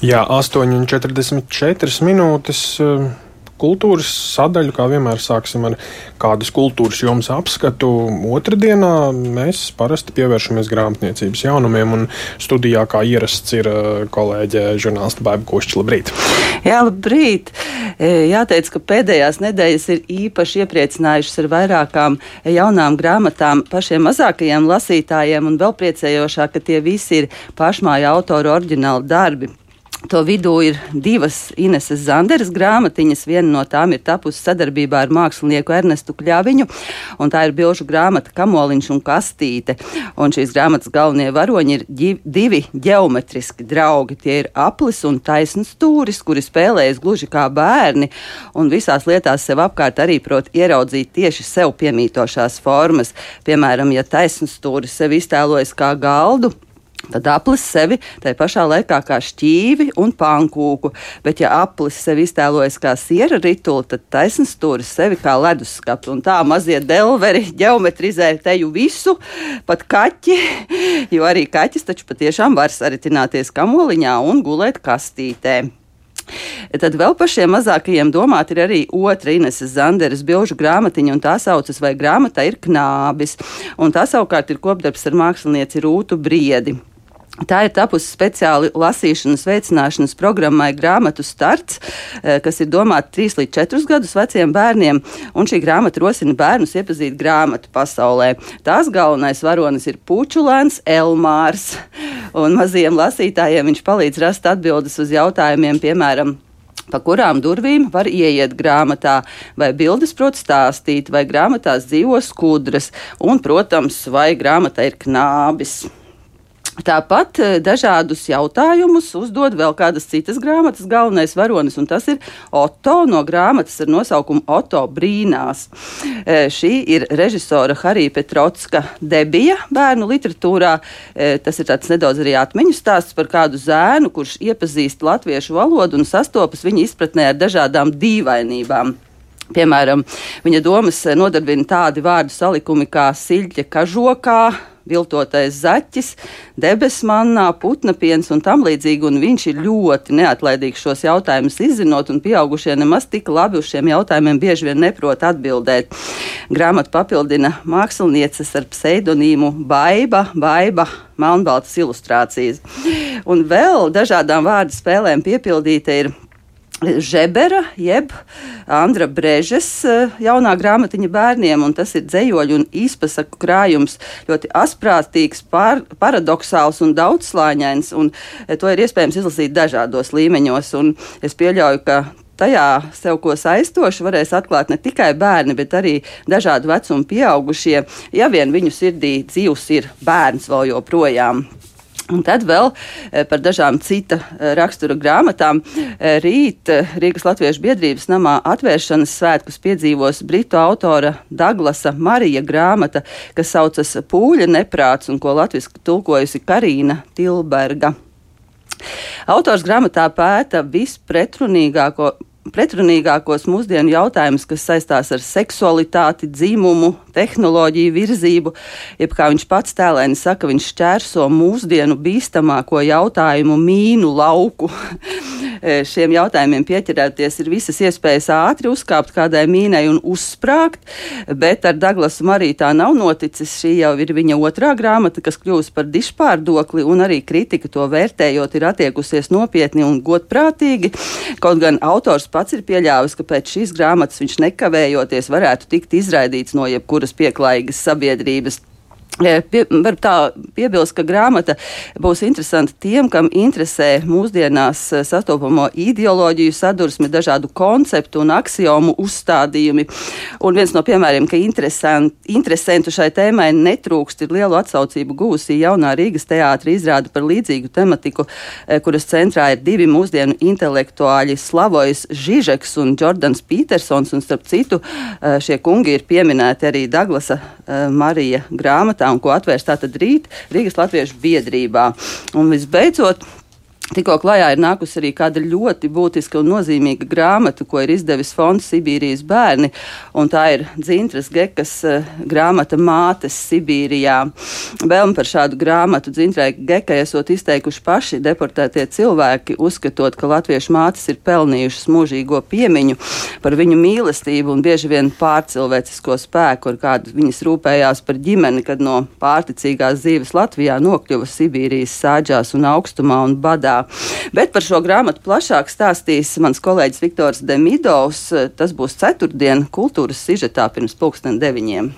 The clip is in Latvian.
Jā, 8,44 minūtes. Kultūras sadaļu, kā vienmēr, sāksim ar kādas kultūras jomas apskatu. Otrdienā mēs parasti pievēršamies grāmatniecības jaunumiem, un studijā, kā ierasts, ir kolēģe žurnāliste Baiba Kušķa. Labrīt! Jā, labrīt! Jāteic, ka pēdējās nedēļas ir īpaši iepriecinājušas ar vairākām jaunām grāmatām pašiem mazākajiem lasītājiem, un vēl priecējošāk, ka tie visi ir pašmāju autoru oriģināli darbi. To vidū ir divas Ineses Zanderes grāmatiņas. Viena no tām ir tapusi sadarbībā ar mākslinieku Ernestu Kļaviņu, un tā ir bilžu grāmata Kamoliņš un kastīte. Un šīs grāmatas galvenie varoņi ir divi ģeometriski draugi. Tie ir aplis un taisns stūris, kuri spēlējas gluži kā bērni, un visās lietās sev apkārt arī prot ieraudzīt tieši sev piemītošās formas. Piemēram, ja taisns stūris sev iztēlojas kā galdu, tad aplis sevi tai pašā laikā kā šķīvi un pankūku, bet ja aplis sevi iztēlojas kā siera rituli, tad taisns stūris sevi kā leduskapi. Un tā mazie delveri ģeometrizē teju visu, pat kaķi, jo arī kaķis taču patiešām var saritināties kamoliņā un gulēt kastītē. Tad vēl par šiem mazākajiem domāt ir arī otra Ineses Zanderes bilžu grāmatiņa, un tā saucas Vai grāmatā ir knābis, un tā savukārt ir kopdarbs ar mākslinieci Rūtu Briedi. Tā ir tapusi speciāli lasīšanas veicināšanas programmai Grāmatu starts, kas ir domāta 3 līdz 4 gadus veciem bērniem, un šī grāmata rosina bērnus iepazīt grāmatu pasaulē. Tās galvenais varonis ir pučulēns Elmārs, un mazajiem lasītājiem viņš palīdz rast atbildes uz jautājumiem, piemēram, pa kurām durvīm var ieiet grāmatā, vai bildes prot stāstīt, vai grāmatās dzīvo skudras, un, protams, vai grāmatā ir knābis. Tāpat dažādus jautājumus uzdod vēl kādas citas grāmatas galvenais varonis, un tas ir Oto no grāmatas ar nosaukumu Oto brīnās. Šī ir režisora Harija Petrotska debija bērnu literatūrā. Tas ir tāds nedaudz arī atmiņu stāsts par kādu zēnu, kurš iepazīst latviešu valodu un sastopas viņa izpratnē ar dažādām dīvainībām. Piemēram, viņa domas nodarbina tādi vārdu salikumi kā siļķe kažokā, viltotais zaķis, debesmannā, putnapiens un tam līdzīgi, un viņš ir ļoti neatlaidīgs šos jautājumus izzinot, un pieaugušie nemaz tik labi uz šiem jautājumiem bieži vien neprot atbildēt. Grāmatu papildina mākslinieces ar pseidonīmu Baiba, melnbaltas ilustrācijas. Un vēl dažādām vārdu spēlēm piepildīta ir Žebera, jeb Andra Brežes jaunā grāmatiņa bērniem, un tas ir dzejoļu un īspasaku krājums, ļoti asprātīgs, paradoxāls un daudzslāņains, un to ir iespējams izlasīt dažādos līmeņos, un es pieļauju, ka tajā sev ko saistoši varēs atklāt ne tikai bērni, bet arī dažādu vecumu pieaugušie, ja vien viņu sirdī dzīvs ir bērns vēl joprojām. Un tad vēl par dažām cita rakstura grāmatām. Rīt Rīgas Latviešu biedrības namā atvēršanas svētkus piedzīvos britu autora Daglasa Marija grāmata, kas saucas Pūļa neprāts un ko latviski tulkojusi Karīna Tilberga. Autors grāmatā pēta pretrunīgākos mūsdienu jautājumus, kas saistās ar seksualitāti, dzimumu, tehnoloģiju virzību, jeb kā viņš pats tēlēni saka, viņš šķērso mūsdienu bīstamāko jautājumu mīnu lauku. Šiem jautājumiem pieķerēties ir visas iespējas ātri uzkāpt kādai mīnai un uzsprāgt, bet ar Daglasu Mariju tā nav noticis. Šī jau ir viņa otrā grāmata, kas kļūst par dižpārdokli, un arī kritika to vērtējot ir attiekusies nopietni un godprātīgi. Kaut gan autors pats ir pieļāvis, ka pēc šīs grāmatas viņš nekavējoties varētu tikt izraidīts no jebkuras pieklājīgas sabiedrības. Var tā piebilst, ka grāmata būs interesanta tiem, kam interesē mūsdienās sastopamo ideoloģiju sadursmi, dažādu konceptu un aksiomu uzstādījumi. Un viens no piemēriem, ka interesantu šai tēmai netrūkst, ir lielu atsaucību gūsī jaunā Rīgas teātra izrāde par līdzīgu tematiku, kuras centrā ir divi mūsdienu intelektuāļi Slavojs Žižeks un Džordans Pītersons, un starp citu šie kungi ir pieminēti arī Daglasa Marija grāmatā, un ko atvērs tātad rīt Rīgas Latviešu biedrībā. Un visbeidzot, Tikko klajā ir nākusi arī kāda ļoti būtiska un nozīmīga grāmata, ko ir izdevis Fonds Sibīrijas bērni, un tā ir Dzintras Gekas grāmata Mātes Sibīrijā. Vēlmi par šādu grāmatu Dzintrai Gekai esot izteikuši paši deportētie cilvēki, uzskatot, ka latviešu mātes ir pelnījušas mūžīgo piemiņu par viņu mīlestību un bieži vien pārcilvēcisko spēku, ar kādu viņas rūpējās par ģimeni, kad no pārticīgās dzīves Latvijā nokļuva Sibīrijas sāģās un augstumā un badā. Bet par šo grāmatu plašāk stāstīs mans kolēģis Viktors Demidovs. Tas būs ceturtdien kultūras sižetā pirms 9:00.